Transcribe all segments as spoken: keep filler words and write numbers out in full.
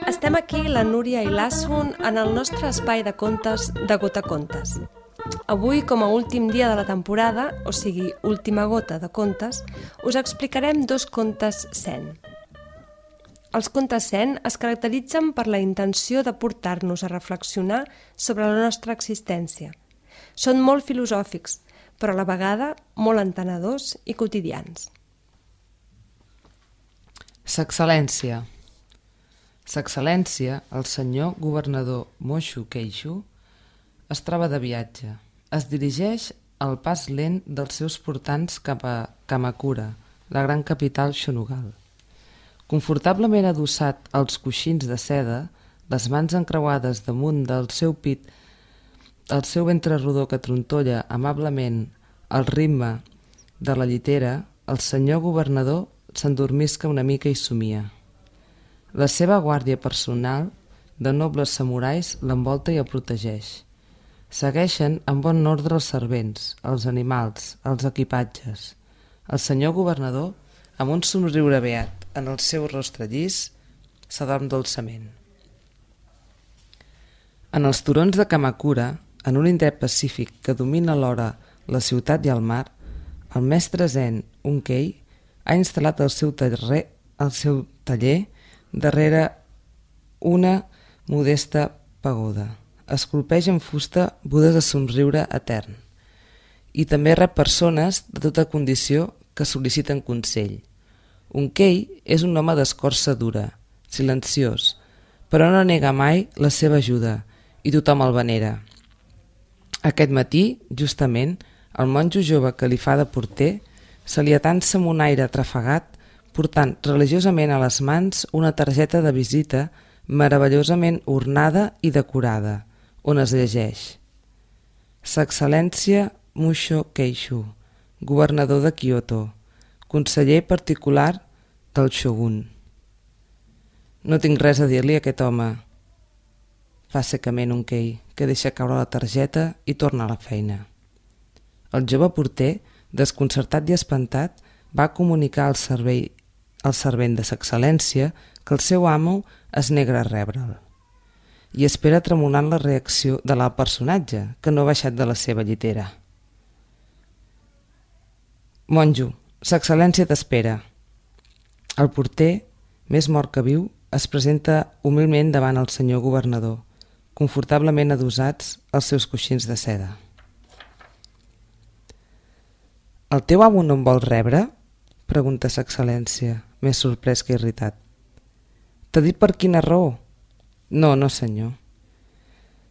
Estem aquí, la Núria i l'Assun, en el nostre espai de contes de Gota Contes. Avui, com a últim dia de la temporada, o sigui, última gota de contes, us explicarem dos contes zen. Els contes zen es caracteritzen per la intenció de portar-nos a reflexionar sobre la nostra existència. Són molt filosòfics, però a la vegada molt entenedors i quotidians. Sa excel·lència. Sa excel·lència, el senyor governador Moshu Keishu, es troba de viatge. Es dirigeix al pas lent dels seus portants cap a Kamakura, la gran capital Shonugal. Confortablement adossat als coixins de seda, les mans encreuades damunt del seu pit, el seu ventre rodó que trontolla amablement al ritme de la llitera, el senyor governador s'endormisca una mica i somia. La seva guàrdia personal de nobles samurais l'envolta i el protegeix. Segueixen en bon ordre els servents, els animals, els equipatges. El senyor governador, amb un somriure beat en el seu rostre llis, s'adorm dolçament. En els turons de Kamakura, en un indret pacífic que domina alhora la ciutat i el mar, el mestre zen Unkei ha instal·lat el seu taller, el seu taller darrere una modesta pagoda. Esculpeix en fusta budes de somriure etern i també rep persones de tota condició que sol·liciten consell. Unkei és un home d'escorça dura, silenciós, però no nega mai la seva ajuda i tothom el venera. Aquest matí, justament, el monjo jove que li fa de porter se li atansa amb un aire atrafegat portant religiosament a les mans una targeta de visita meravellosament ornada i decorada, on es llegeix: Sa excel·lència Musho Keishu, governador de Kyoto, conseller particular del shogun. No tinc res a dir-li a aquest home, fa secament Unkei, que deixa caure la targeta i torna a la feina. El jove porter, desconcertat i espantat, va comunicar al servei el servent de sa excel·lència que el seu amo es nega a rebre'l i espera tremolant la reacció de l'alt personatge, que no ha baixat de la seva llitera. Monjo, sa excel·lència t'espera. El porter, més mort que viu, es presenta humilment davant el senyor governador, confortablement adossats als seus coixins de seda. El teu amo no em vol rebre? Pregunta sa excel·lència, més sorprès que irritat. T'ha dit per quina raó? No, no senyor.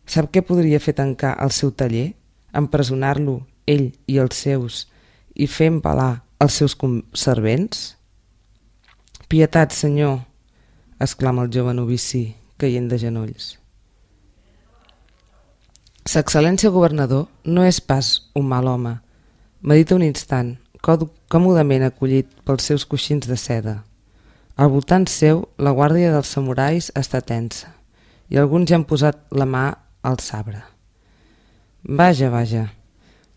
Sap què podria fer tancar el seu taller, empresonar-lo, ell i els seus, i fer empalar els seus servents? Pietat, senyor, exclama el jove novici, caient de genolls. Sa excel·lència governador no és pas un mal home. Medita un instant, còmodament acollit pels seus coixins de seda. Al voltant seu, la guàrdia dels samurais està tensa i alguns ja han posat la mà al sabre. Vaja, vaja,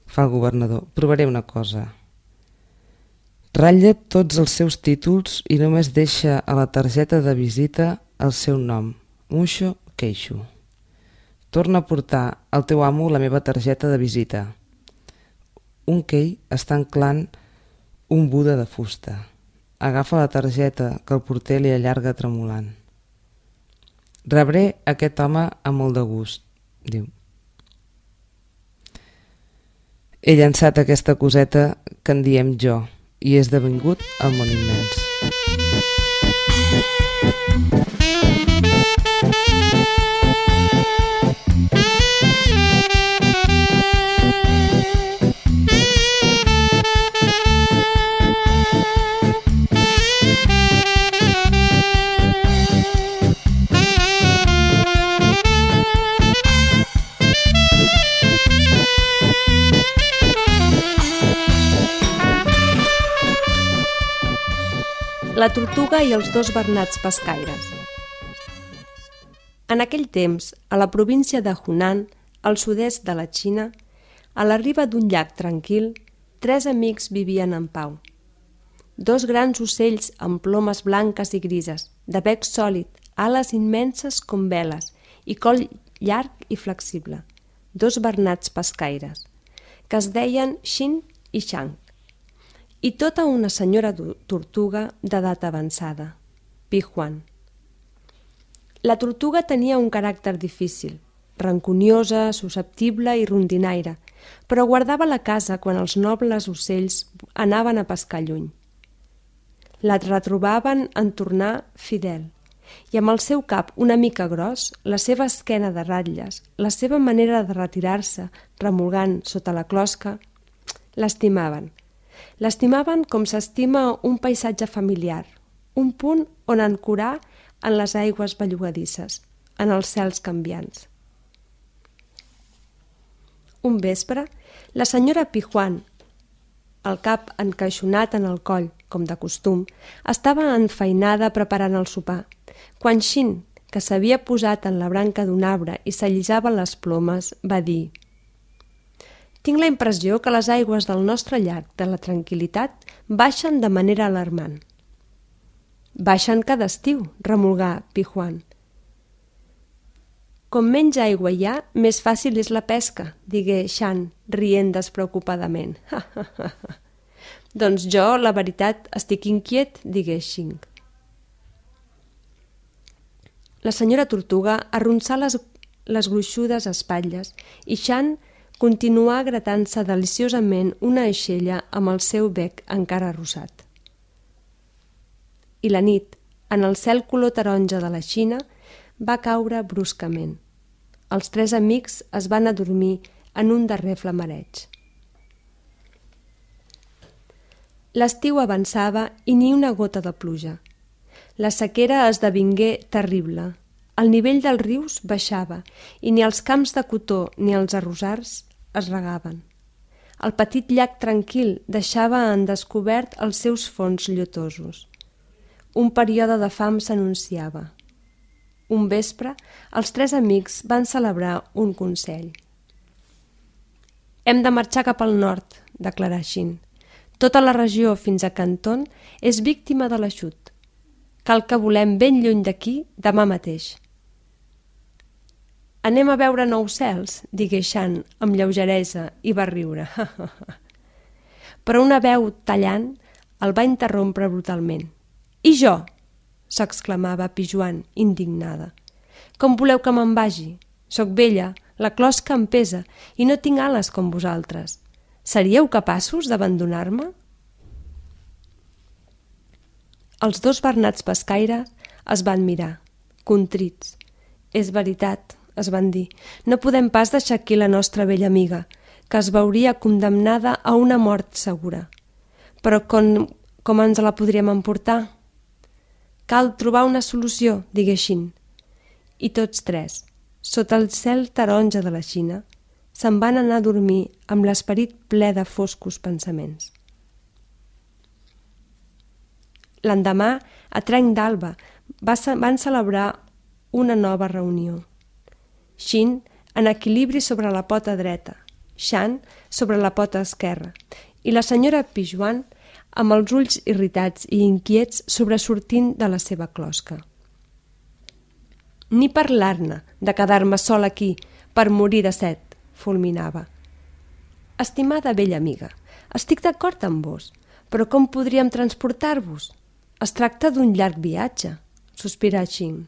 fa el governador, provaré una cosa. Ratlla tots els seus títols i només deixa a la targeta de visita el seu nom, Musho Keishu. Torna a portar al teu amo la meva targeta de visita. Unkei està anclant un Buda de fusta. Agafa la targeta que el porter li allarga tremolant. Rebré aquest home amb molt de gust, diu. He llançat aquesta coseta que en diem jo i he esdevingut el món immens. La tortuga i els dos bernats pescaires. En aquell temps, a la província de Hunan, al sud-est de la Xina, a la riba d'un llac tranquil, tres amics vivien en pau. Dos grans ocells amb plomes blanques i grises, de bec sòlid, ales immenses com veles i coll llarg i flexible. Dos bernats pescaires, que es deien Xin i Shang. I tota una senyora tortuga d'edat avançada, Pihuan. La tortuga tenia un caràcter difícil, rancuniosa, susceptible i rondinaire, però guardava la casa quan els nobles ocells anaven a pescar lluny. La retrobaven en tornar fidel, i amb el seu cap una mica gros, la seva esquena de ratlles, la seva manera de retirar-se remolgant sota la closca, l'estimaven. L'estimaven com s'estima un paisatge familiar, un punt on ancorar en les aigües bellugadisses, en els cels canviants. Un vespre, la senyora Pihuan, el cap encaixonat en el coll, com de costum, estava enfeinada preparant el sopar, quan Xin, que s'havia posat en la branca d'un arbre i s'allisava les plomes, va dir: «Tinc la impressió que les aigües del nostre llac de la tranquil·litat baixen de manera alarmant». «Baixen cada estiu», remolgà Pihuan. «Com menys aigua hi ha, més fàcil és la pesca», digué Shan, rient despreocupadament. «Ha, ha, ha, ha. Doncs jo, la veritat, estic inquiet», digué Xing. La senyora tortuga arronsà les, les gruixudes espatlles i Shan continuà gratant-se deliciosament una aixella amb el seu bec encara rosat. I la nit, en el cel color taronja de la Xina, va caure bruscament. Els tres amics es van adormir en un darrer flamareig. L'estiu avançava i ni una gota de pluja. La sequera esdevingué terrible. El nivell dels rius baixava i ni els camps de cotó ni els arrossars es regaven. El petit llac tranquil deixava en descobert els seus fons llotosos. Un període de fam s'anunciava. Un vespre, els tres amics van celebrar un consell. «Hem de marxar cap al nord», declarà Xin. «Tota la regió fins a Canton és víctima de l'aixut. Cal que volem ben lluny d'aquí demà mateix». «Anem a veure nous cels», digué Shan amb lleugeresa i va riure. Però una veu tallant el va interrompre brutalment. «I jo?» s'exclamava Pijuan, indignada. «Com voleu que me'n vagi? Soc vella, la closca em pesa i no tinc ales com vosaltres. Seríeu capaços d'abandonar-me?» Els dos bernats pescaires es van mirar, contrits. «És veritat», es van dir, «no podem pas deixar aquí la nostra vella amiga, que es veuria condemnada a una mort segura. Però com, com ens la podríem emportar?» «Cal trobar una solució», digué Xin. I tots tres, sota el cel taronja de la Xina, se'n van anar a dormir amb l'esperit ple de foscos pensaments. L'endemà, a trenc d'alba, van celebrar una nova reunió. Xin en equilibri sobre la pota dreta, Shan sobre la pota esquerra i la senyora Pijuan amb els ulls irritats i inquiets sobresortint de la seva closca. «Ni parlar-ne de quedar-me sol aquí per morir de set», fulminava. «Estimada vella amiga, estic d'acord amb vos, però com podríem transportar-vos? Es tracta d'un llarg viatge», sospirà Xin.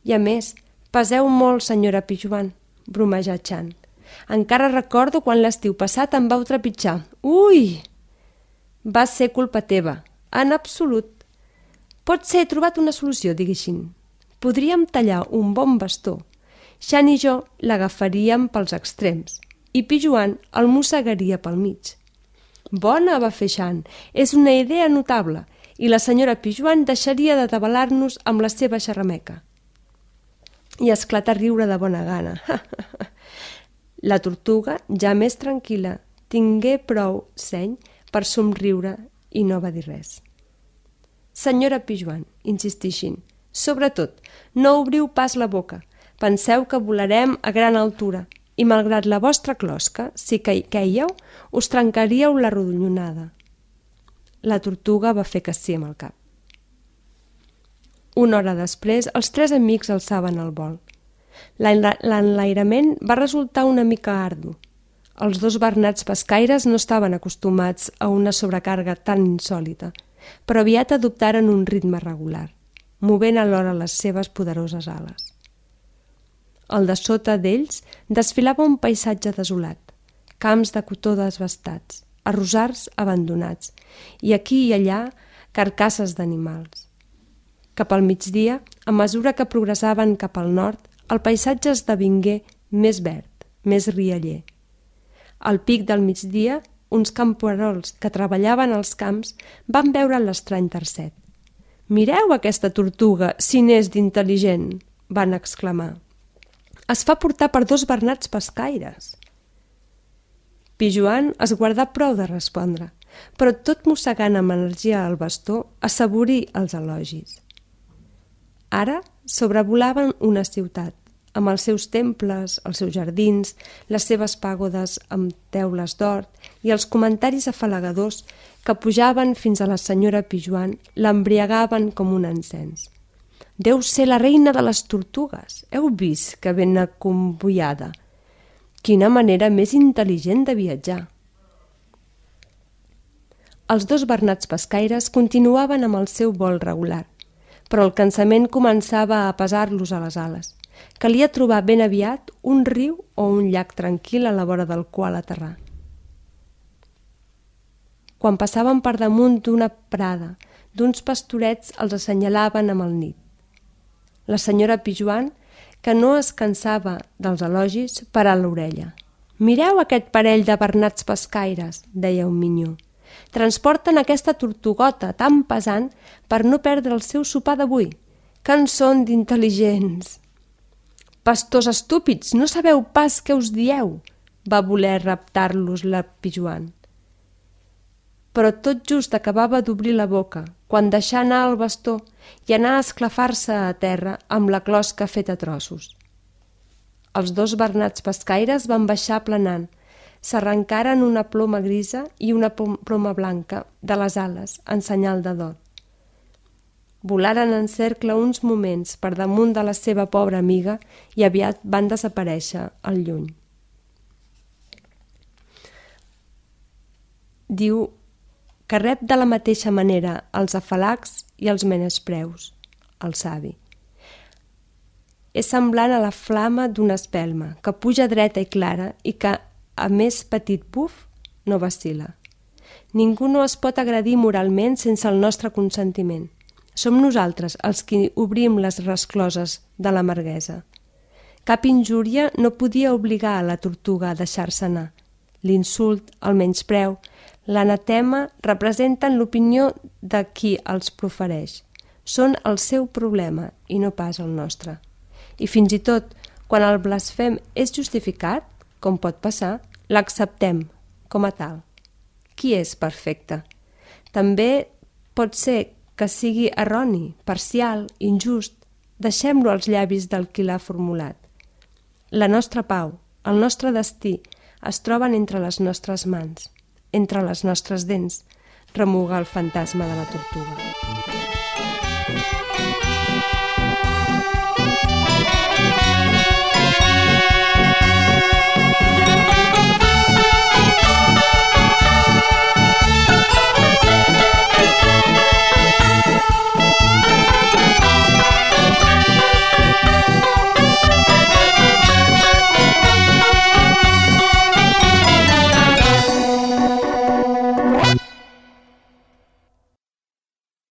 «I a més, peseu molt, senyora Pijuan», bromejà Shan. «Encara recordo quan l'estiu passat em vau trepitjar. Ui!» «Va ser culpa teva, en absolut. Pot ser he trobat una solució», digué Xin. «Podríem tallar un bon bastó. Shan i jo l'agafaríem pels extrems i Pijuan el mossegaria pel mig». «Bona», va fer Shan, «és una idea notable i la senyora Pijuan deixaria de tabalar-nos amb la seva xerrameca». I esclatà a riure de bona gana. La tortuga, ja més tranquil·la, tingué prou seny per somriure i no va dir res. Senyora Pijoan, insistixin, sobretot, no obriu pas la boca. Penseu que volarem a gran altura i, malgrat la vostra closca, si queieu, us trencaríeu la rodonyonada. La tortuga va fer que sí amb el cap. Una hora després, els tres amics alçaven el vol. L'enlairament va resultar una mica ardu. Els dos bernats pescaires no estaven acostumats a una sobrecàrrega tan insòlita, però aviat adoptaren un ritme regular, movent alhora les seves poderoses ales. Al de sota d'ells desfilava un paisatge desolat, camps de cotó desbastats, arrossars abandonats i aquí i allà carcasses d'animals. Cap al migdia, a mesura que progressaven cap al nord, el paisatge esdevingué més verd, més rialler. Al pic del migdia, uns camperols que treballaven als camps van veure l'estrany tercet. «Mireu aquesta tortuga, si n'és d'intel·ligent!» van exclamar. «Es fa portar per dos bernats pescaires!» Pijoan es guardà prou de respondre, però tot mossegant amb energia el bastó, assaborí els elogis. Ara sobrevolaven una ciutat, amb els seus temples, els seus jardins, les seves pàgodes amb teules d'or i els comentaris afalagadors que pujaven fins a la senyora Pijoan l'embriagaven com un encens. «Deu ser la reina de les tortugues! Heu vist que ben acomboiada! Quina manera més intel·ligent de viatjar!» Els dos bernats pescaires continuaven amb el seu vol regular, però el cansament començava a pesar-los a les ales. Calia trobar ben aviat un riu o un llac tranquil a la vora del qual aterrar. Quan passaven per damunt d'una prada, d'uns pastorets els assenyalaven amb el nit. La senyora Pijoan, que no es cansava dels elogis, parà l'orella. «Mireu aquest parell de bernats pescaires», deia un minyó. «Transporten aquesta tortugota tan pesant per no perdre el seu sopar d'avui. Que en són d'intel·ligents!» «Pastors estúpids, no sabeu pas què us dieu!» va voler reptar-los la Pijoan. Però tot just acabava d'obrir la boca, quan deixà anar el bastó i anà a esclafar-se a terra amb la closca feta a trossos. Els dos bernats pescaires van baixar planant, s'arrencaren una ploma grisa i una ploma blanca de les ales en senyal de dol. Volaren en cercle uns moments per damunt de la seva pobra amiga i aviat van desaparèixer al lluny. Diu que rep de la mateixa manera els afalacs i els menespreus, el savi. És semblant a la flama d'una espelma, que puja dreta i clara i que, a més petit buf, no vacil·la. Ningú no es pot agredir moralment sense el nostre consentiment. Som nosaltres els qui obrim les rescloses de l'amarguesa. Cap injúria no podia obligar a la tortuga a deixar-se anar. L'insult, el menyspreu, l'anatema representen l'opinió de qui els profereix. Són el seu problema i no pas el nostre. I fins i tot, quan el blasfem és justificat, com pot passar, l'acceptem com a tal. Qui és perfecte? També pot ser que sigui erroni, parcial, injust. Deixem-lo als llavis del qui l'ha formulat. La nostra pau, el nostre destí, es troben entre les nostres mans, entre les nostres dents, remuga el fantasma de la tortuga.